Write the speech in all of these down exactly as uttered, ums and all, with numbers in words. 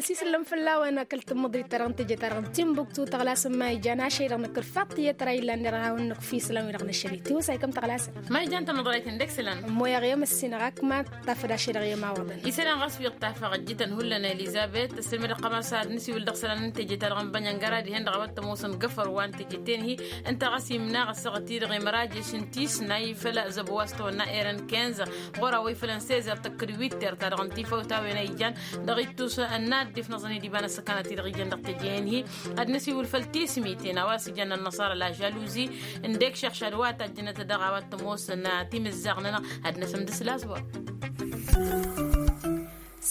Sisǝllăm fălla-wen akăl tǝmmǝḍrit-ta-dăɣ n-teje-ta-dăɣ n-timbuktu tăɣlasăm ma ijan ašăy-dăɣ nǝkǝl faṭṭiyăt ra illan derɣ a-wen nǝkf isălan-wi-dăɣ năššăl i-tiwǝsay kăm tăɣlasăm. Ma ijan tamăḍrayt n-dăɣ-isălan. Ămmoyaɣ i-emăssinăɣ ak ma tafăd ašăy-dăɣ i-emawaḍăn. Isălan ɣas wi ăṭṭafăɣ ăjjǝtăn hullan elizabet tăssilmădăɣ ăqqăma s-ad-nǝsiwǝl dăɣ-isălan n-teje-ta-dăɣ n-bănyăngăra dihen-dăɣ a-wa t-ămoosăn găfăr wa n-teje-ten-hi. Ǝnta ɣas imnaɣ ăssaɣăt-i-dăɣ imraješ n-tisnay făll-zăbo wa s-tawănna eren kinz ɣur-a-wa ifălăn sezer tăkkăd witert-ta-dăɣ n-tifawt a-wen a ijan dăɣ-ittus ănnaddef n-aẓăn-i d-iba n-ăssăkanăt-i-dăɣ ijăn dăɣ-teje-en-hi. Ad-nǝsiwǝl făll-tismiten a-wa s-ijăn ănnăṣara la žăluzi ǝndek šăɣšad wa tajjănăt daɣ a-wa t-ămoosăn timǝzzaɣ-nănăɣ ad-năsǝmdǝs lasbor.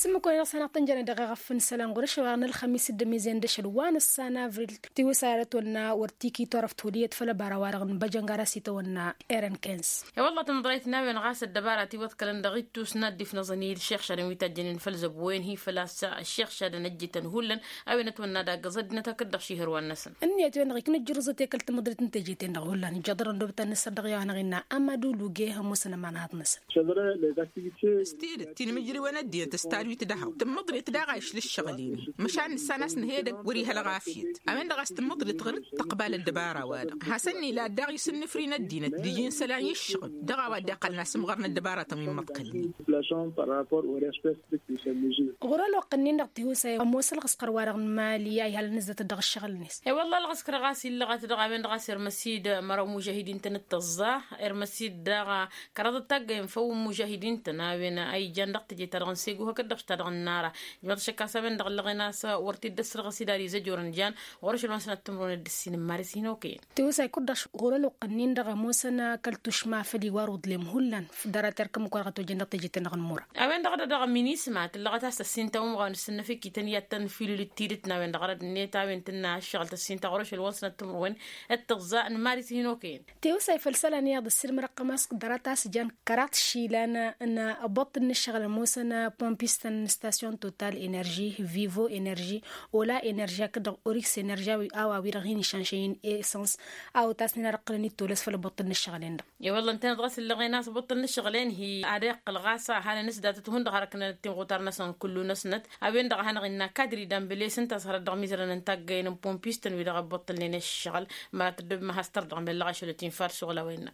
S-ǝmmǝk-wen-dăɣ s-hanăɣ-tăn-jănăt dăɣ-eɣăf n-isălan ɣur-ašăl wa n-ălxămis d-ămizen d-ašăl wa n-ăssan avril tiwǝsay ad-ătwănna wăr tiki turăft huliyăt făll-ăbara-wa-dăɣ n-băjăngar a-s itawănna eren kinz. I-wălla tamăḍrayt n-a-wen ɣas ăddăbara tiwăḍkălăn dăɣ-ittus n-ad-dd-ifnăẓăn-dd šixšadăn wi tajjănen făll-zăbo-en-hi făl-a-s šixšadăn ăjjǝtăn hullan. A-wen ătwănna ad-aggăẓ ăddinăt hakd-dăɣ šihǝr wa-năsăn. Ǝnniyăt-wen-dăɣ iknǝjjǝrǝẓăt i-kăl-tamăḍrit n-teje-ten-dăɣ hullan ijjaḍărăn dobăt ad-nǝssăr dăɣ-i-wa-hanăɣ-innă amadu luge ămoosăn ămanhaḍ-năsăn. S-tidǝt tinmǝjriwen ăddinăt s-tadwit d-ehăw tǝmmǝḍrit daɣ a išla ǝššăɣǝl-in-hi. Măšan nǝssan a-s nǝhedăg wăr-ihăl ɣafyăt a-wen-dăɣ a-s tǝmmǝḍrit ɣǝr-dd tăqbal ăddăbara-wa-dăɣ hasăn-nila daɣ isǝnnǝfri n-ăddinăt d-iji n-isălan i-ǝššăɣǝl. Dăɣ-a-wa dd-iqqălăn asǝmɣăr n-ăddăbaratăn wi n-imǝḍkălnen. Ɣur-ălwăqq-ǝnnin-dăɣ tihusa ămoos ălɣǝskăr-wa-dăɣ n-imali a ihălăn ǝzzătăt dăɣ-ǝššăɣǝl-net. I-wălla ălɣǝskăr ɣas illăɣăt dăɣ-a-wen-dăɣ a-s irmăsid măraw n-imužahidin-tăn d-tăẓẓa irmăsid daɣ kăraḍăt taggayen făw n-imužahidin-tăn a-wen a ijan dăɣ-teje-ta-dăɣ n-segu hakd-dăɣ ta-dăɣ n-nara. Ijmăḍ ašăk a-s a-wen-dăɣ ǝllăɣen a-s wăr t-dd-ăssărɣăs idar izăjorăn jan ɣur-ašăl wa n-sănat timǝrwen d-ǝssin n-maris hin-okăyăn. Tiwǝsay kud-dăɣ ɣur-ălwăqq-ǝnnin-dăɣ ămoosăn kăl-tušma făll-iwar uḍlem hullan. Dăr-a terkăm ǝkkoraɣăt ojăn dăɣ-teje-ten-dăɣ n-mura. A-wen-dăɣ a dăɣ-minisma tǝllăɣăt a-s tăssin tawǝmɣawen s-tǝnnăfikităn i-ad-tăn-filǝl d-tidǝt n-a-wen-dăɣ rădd-net a-wen tǝnna ăššăɣǝl tăssin ta ɣur-ašăl wa n-sănat timǝrwen d-tăẓẓa n-maris hin-okăyăn. Tiwǝsay făll-isălan iyyăḍ ǝssilmădăɣ-tăm a-s dăr-a ta s-jan kăraḍ išilan n-abuṭṭǝl n-ǝššăɣǝl ămoosăn pompistăn n-stasyon total enerži vivo enerži ola enerži hakd-dăɣ orix enerži a-wa wi-dăɣ hin-išanšăyăn esăns a otasnen ad-ǝqqǝlăn ittolăs făll-abuṭṭǝl n-ǝššăɣǝl-en-dăɣ. I-wălla ǝntăneḍ ɣas ǝllăɣen a-s abuṭṭǝl n-ǝššăɣǝl-en-hi ad-iqqǝl ɣas a hanăn-s datăt hundăɣ hărăknănăt timɣutar-năsăn kullu-năsnăt. A-wen-dăɣ a hanăɣ-innă kadri dambăles ǝnta a-s hărăt dăɣ-mizărăn n-taggăyen n-pompistăn wi-dăɣ ăbbuṭṭǝlnen ǝššăɣǝl. Măra tăddobem a has-tărdăɣ măllăɣ ašăl ătinfar šuɣǝl a-wa innă.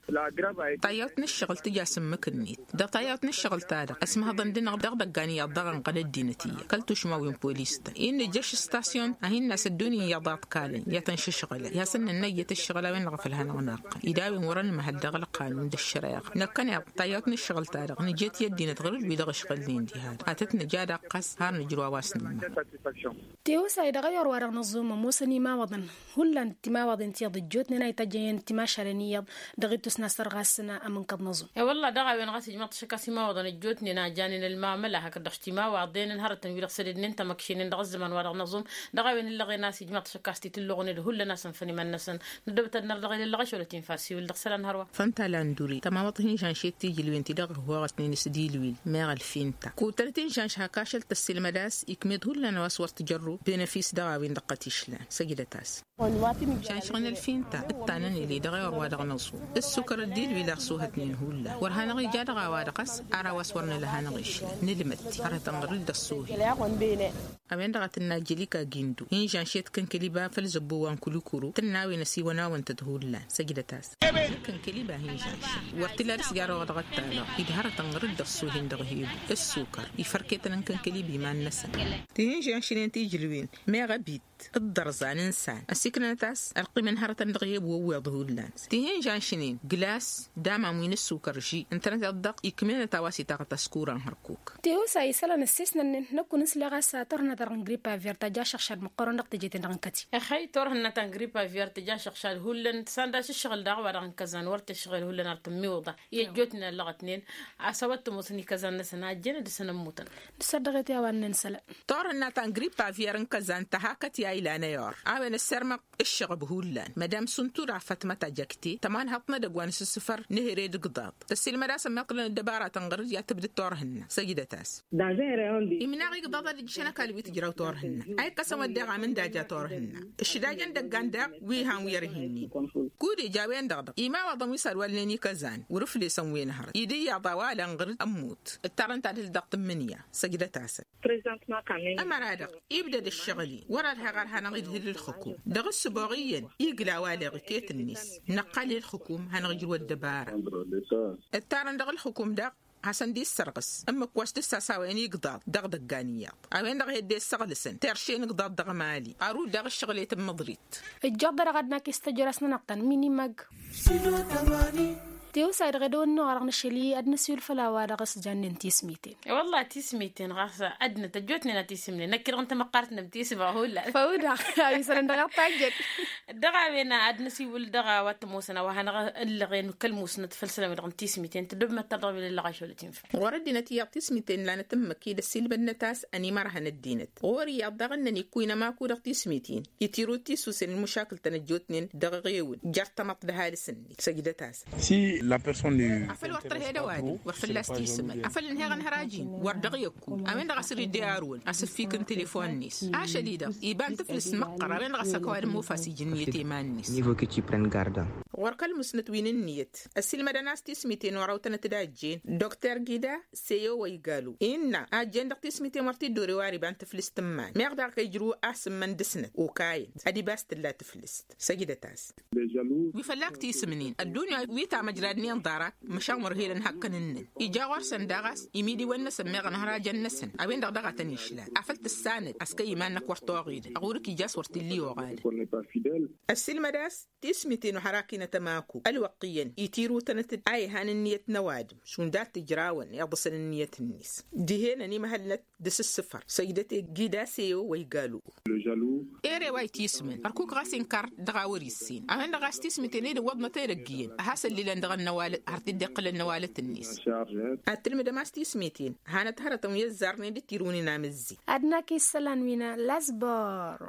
Tayyawt n-ǝššăɣǝl tǝja s-ǝmmǝk-net dăɣ-tayyawt n-ǝššăɣǝl-ta-dăɣ ăsmăhăḍăn-dăɣ dăɣ-idăggan iyyăḍ dăɣ-inɣăl ăddinăt iyyăḍ kăl-tušma wi n-polis-tăn. Innă ija ašăl stasyon a hin-nas ăddunya iyyăḍ a ǝḍkalăn i-ad-tăn-išǝšɣǝlăn i-ad-săn nănnăyyăt ǝššăɣǝl a-wen-dăɣ a făl hanăɣ-năqqǝl. Ida a-wen wăr-ănmăhăl dăɣ-ălqanun d-ăššăreɣa năkkăneḍ tayyawt n-ǝššăɣǝl-ta-dăɣ nǝjet i-ăddinăt ɣur-dd wi-dăɣ ǝšɣǝlnen diha-dăɣ ad-tăt-nǝj ad-ăqqăs har nǝjrǝw a-wa s-nǝmmăr. Tiwǝsay dăɣ-ayyor-wa-dăɣ năẓum ămoosăn imawăḍăn hullan d-timawaḍen tiyyăḍ ăjjootnen a itajjăyăn timašalen iyyăḍ. Dăɣ-ittus n-asăr ɣas n-amǝnkăḍ năẓum. I-wălla daɣ a-wen ɣas ijmăḍ-t ašăk a-s imawăḍăn ăjjootnen a janen ălmamăla hakd-dăɣ s-timawaḍen n-hărătăn wi-dăɣ sădednen tamăkšenen dăɣ-ăzzăman-wa-dăɣ năẓum. Dăɣ-a-wen ǝllăɣen a-s ijmăḍ-t ašăk a-s titǝlluɣnen d-hullan a-s ǝnfăn iman-năsăn. Năddobăt ad-nărdăɣ ilăllăɣ ašăl ătinfar siwǝl dăɣ-isălan hărwa. Fănta landuri tămamăḍt hin-žănšet tijǝlwen-ti-dăɣ ăhhooɣăsnen s-dilwil meɣ ălfinta kutănăt hin-žănš hak ašăl tăssilmăd a-s ikmed hullan a-wa s-wăr tǝjărrub benăfis dăɣ-a-wen dăɣ-kăt išlan săjdăt-as. Žănšăɣ n-ălfinta ǝttanăn ili dăɣ-ewăr wa dăɣ-năẓu ǝssukăr d-ilwil a ăsuhătnen hullan wăr hanăɣ-ija dăɣ-a-wa-dăɣ a-s ar a-wa s-wăr nǝla hanăɣ-išlan nǝlmăd-t hărătăn ɣur-dd ăṣṣuhi. A-wen-dăɣ a tǝnna jălika gindu hin-žănšet kănkăliba făll-zăbbo wa n-kulukuru tǝnna a-wen ăsiwănawăn-tăt hullan săjdăt-as. Kănkăliba hin-žănšen wăr t-ila dăɣ-s gar-oɣ dăɣ-ăttalăɣ-dd hărătăn ɣur-dd ăṣṣuhi-n dăɣ-hebu ǝssukăr ifarketăn n-kănkălib iman-năsăn. Tihin-žănšnen tijǝlwen meɣ ăbit d-ărdăẓan n-isan ăsiknănăt a-s ălqimăn hărătăn dăɣ-hebu ăwweḍ hullan. Tihin-žănšnen glas d-amam wi n-ǝssukăr ži ǝntănăt iḍḍăɣ ikmenăt a-wa s-itaɣăt ăskuran hărkuk. Tihusa isălan ăssesnănnen năkk wăn-ǝsleɣ a-s turhǝnna-ta-dăɣ n-gripa virt tăja ašăɣšad măqqoorăn dăɣ-teje-ten-dăɣ n-kăti. Ăxăy turhǝnna ta n-gripa virt tăja ašăɣšad hullan sanda s-ǝššăɣǝl daɣ wa dăɣ-n kăzan wăr t-ǝššăɣǝl hullan ar tǝmmiwǝḍa i-ăjjootnen ăllăɣătnen. A-s a-wa t-ămoosăn ikăzan-năsăn a ăjjeen ad-dăr-săn ămmutăn. Dăr-s ad-dăɣ-e-t i-a-wa ǝnnăn isălan. Turhǝnna ta n-gripa virt n-kăzan tăha kăti. a ilan ăyor a-wen ăssirmăɣ ǝššăɣăb hullan mădam suntura fatmăt ajăkte tămanhăḍt n-edăgg wa n-asǝssǝfăr n-ehere d-igḍaḍ. Tăssiilmăd-asăn meḍ tǝllăn ăddăbaratăn ɣăr-dd i-ad-tǝbdǝd turhǝnna săjdăt-as. Imnaɣ igḍaḍ ad-ǝjjǝšăn ăkall wi tǝjraw turhǝnna a ikkăsăn wădden amǝndaja turhǝnna ǝššǝdajăn dăggan daɣ wi han wi ărhinnin. Kud-ija a-wen-dăɣ dăɣ-imawaḍăn wi s-ad-walnen ikăzan wăr-ǝflesăn wi n-hărăt idǝyyaḍ a-wa lăn ɣăr-dd ămmut. Ǝttarăn-t ad-hǝl dăɣ-tǝmmǝnǝya săjdăt-asăn. Ămăra-dăɣ ibdăd ǝššăɣǝl-i wăr-ad-haɣ ad-hanăɣ-idhǝl ǝlxǝkum dăɣ-ǝssǝboɣ iyyăn igla a-wa leɣ iket-net. Năqqal i-ǝlxǝkum hanăɣ-ijrǝw ăddăbara. Ǝttarăn dăɣ-ǝlxǝkum daɣ hasăn-dd-issărɣǝs ǝmmǝk wa s-dd-sasawăyăn igḍaḍ dăɣ-idăggan iyyăḍ a-wen-dăɣ a hi-dd-issăɣlǝsăn terše n-igḍaḍ dăɣ-emali. Arud daɣ ǝššăɣǝl i-tǝmmǝḍrit. Ǝjjăɣ-dd dăɣ-ad-năkk istăjrăs-nănăɣ-tăn minimăg. Tiwǝsay dăɣ-edăwănnu ɣur-dăɣ nǝšăl-i ad-nǝsiwǝl făll-a-wa dăɣ-s jannen tismiten. Wălla tismiten ɣas ăddinăt ăjjootnen a tisǝmnen năkk-i-dăɣ n-tamăqqart n-ămtisǝba hullan. Făw-daɣ a-wi sănăn dăɣ-ăṭṭajjăt. Dăɣ-a-wen ad-nǝsiwǝl dăɣ-a-wa t-ămoosăn a-wa hanăɣ-ǝllăɣen kăl-musnăt făll-isălan-wi-dăɣ n-tismiten tǝddǝb măttăr dăɣ-wi lăllăɣ ašăl timfăl. Ɣur-ăddinăt iyyăḍ tismiten lanăt ǝmmǝk-i d-ăssiilmădnăt a-s ănimărhăn ăddinăt ɣur-iyyăḍ daɣ ǝnnăn ikkuynăm aku dăɣ-tismiten. Itirut tisusen n-măšakǝl-tăn ăjjootnen dăɣ-eɣewǝn jer-tamăḍt d-ăhalǝs-net săjdăt-asăn. Afăl wăr tărhed ăwadǝm wăr fălla-s tisǝmăl afăl ǝnheɣ ănhăraj-in wăr dăɣ-i ăkku. A-wen-dăɣ a-s dd-irǝy arǝwăn asǝfik n-telefon-net ašăl-i-dăɣ iba n-tǝflǝst măqqăr a-wen-dăɣ a-s ăkk ăwadǝm ofas ija ǝnniyăt i-iman-net. Ɣur-kăl-musnăt wi n-ǝnniyăt ăssiilmădăn a-s tismiten wăr-awtănăt d-ajjen dr gida seyo wa igalu innă ajjen dăɣ-tismiten wăr t-dd-ore wa ar iba n-tǝflǝst n-iman meɣ daɣ kăy-ijrǝw asǝmmăn dăɣ-snăt okayăn ad-iba a-s tǝlla tǝflǝst. Săjdăt-as. Wi fălla-k tisǝmnen ăddunya wi tamăjradnen ḍarăt măšan wăr helăn hakkăn-năn ija ɣur-săn daɣ a-s imidiwăn-năsăn meɣ ănhărajăn-năsăn a-wen-dăɣ daɣ a tăn-išlal afăl tǝssanăd a-s kăy-iman-năk wăr toɣidăn ăɣurǝk ija a-s wăr t-illa iwɣadăn. Ăssiilmăd a-s tismiten ohărakinăt ămaku ălwăqq iyyăn itirutănăt-dd a ihan ǝnniyăt n-ăwadǝm šund ad-t-ǝjrawăn iḍǝsăn ǝnniyăt-net dihen ănimăhălnăt dăɣ-s ǝssǝfăr săjdăt i-gidase i-o wa igalu. Ere wa itisǝmăn ărkuk ɣas inkăr dăɣ-a wăr-issen a-wen-dăɣ a-s tismǝten ed ǝwwăḍnăt edăgg iyyăn a has-ăllilăn dăɣ-ănnăwalăt har t-dd-iqqǝlăn n-ăwalăt-net. Ad-tǝlmǝdăm a-s tismǝten hanăt hărătăn wi ăzzarnen d-tirǝwnen amǝzzi. Ad-nak isălan wi n-ăllas bor.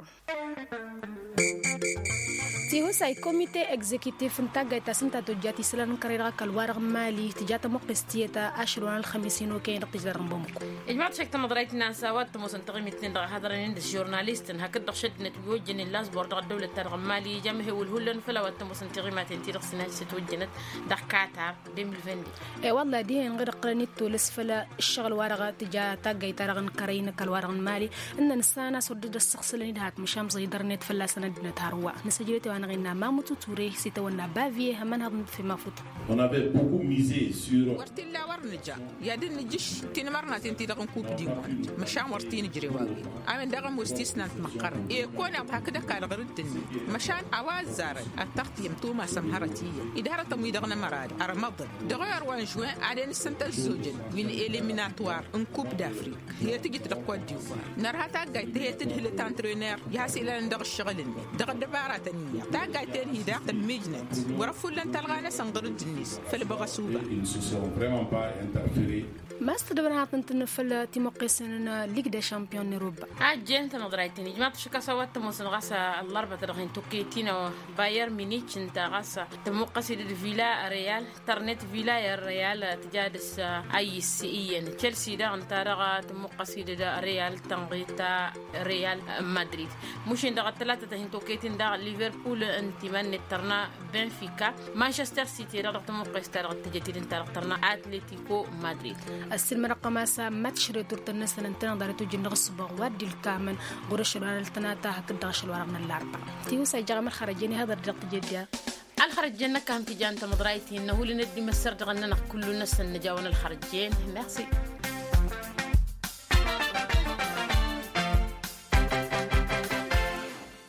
Tihusay komite egzekitif n-taggayt ta s-ǝnta tojjat isălan n-kărăy dăɣ-ăkall-wa-dăɣ n-mali tǝja tămuqqest tiyyăt ašăl wa n-ălxămis-in okăyăn dăɣ-tǝjla dăɣ-năbămuk. Ijmaḍ šek tamăḍrayt n-a-s a-wa t-ămoosăn taɣimit-nin-dăɣ a haḍărăn-in d-žurnalist n-hakd-dăɣ šăddinăt wi ojjănen lasbor dăɣ-ăddăwlăt-ta-dăɣ n-mali ija amhewǝl hullan făll-a-wa t-ămoosăn taɣimaten-ti-dăɣ s-inajjăt ojjănăt dăɣ-katar. De mil vingt. E-wălla dihen ɣǝd ǝqqǝlăn-dd tolăs făll-ǝššăɣǝl-wa-dăɣ tǝja taggayt-ta-dăɣ n-kărăy n-ăkall-wa-dăɣ n-mali ǝnnăn ǝssanăn a-s wăr dd-ăssăɣsǝlăn-dd hat măšan ẓăydărnet fălla-săn ăddinăt hărwa. Nǝsăjdăt i-wa-năɣ innă mamut uture s-itawănna bavie ămănhăḍ n-fimafut. Wăr t-illa wăr nǝja i-ad-dd-nǝjǝš tinmărnaten-ti-dăɣ n-kup dimond măšan wăr t-inǝjrew a-wen. A-wen daɣ ămoos tisnant măqqărăn i-kăwăn-iḍhak d-ăkall ɣur-dd-net măšan a-wa ăzzarăn ad-tăɣtǝyăm tumasăm hărăt iyyăn i-dd-hărătăn wi-dăɣ n-ămăra-dăɣ ărmăḍăn dăɣ-ewăr wa n-žuwin ad-en-ǝssǝntă ăzzojăn wi n-eliminator n-kup d-afrik. He-tǝjǝt dăɣ-kot diwar nărha taggayt he-tǝdhǝlăt antrăyner i-has-ilalăn dăɣ-ǝššăɣǝl-net dăɣ-ăddăbaratăn iyyăḍ taggayt-en-hi daɣ tămmijnăt wăr-ăfullăn talɣa-năsăn ɣur-dd-net. Făll-băɣăsuba. Ma s-tǝdăbăn hatăn-tăn făll-timuqqesen n-lig de champion n-europa. Ajjen tamăḍrayt-in ijmaḍ-t šik a-s a-wa t-ămoosăn ɣas ăllărbăt dăɣ-hin-tukkăyt-in bayer minic ǝnta ɣas tămmuqqăs-dd d-villa real tărnet villa real tǝja dăɣ-s. Ayǝs iyyăn chelsea daɣ ǝnta daɣ tămmuqqăs-dd d-real tănɣet real madrid. Mušin daɣ ăttălatăt hin-tukkăyt-in daɣ liverpool ǝnta iman-net tărna benfica. Manchester city dăɣ-dăɣ tămmuqqes-ta-dăɣ tǝjăt-dd ǝnta dăɣ-tărna atletico madrid. Ăssiilmădăɣ kămasa mătš retur-tăn-năsăn ǝntăneḍ ad-ătwǝjjǝn dăɣ-ǝssǝboɣ wa dd-ilkamăn ɣur-ašăl wa n-ăltănata hakd-dăɣ ašăl wa dăɣ-năllarba. Tiwǝsa ija ɣăm ălxărăjjen ihăḍăr-dd dăɣ-tijădda. Ălxărăjjen năkk a ham-t-ijan tamăḍrayt-in năhulăn ăddim ăssărdăɣăn-nănăɣ kullu-năsăn nǝjawăn ălxărăjjen. Mersi.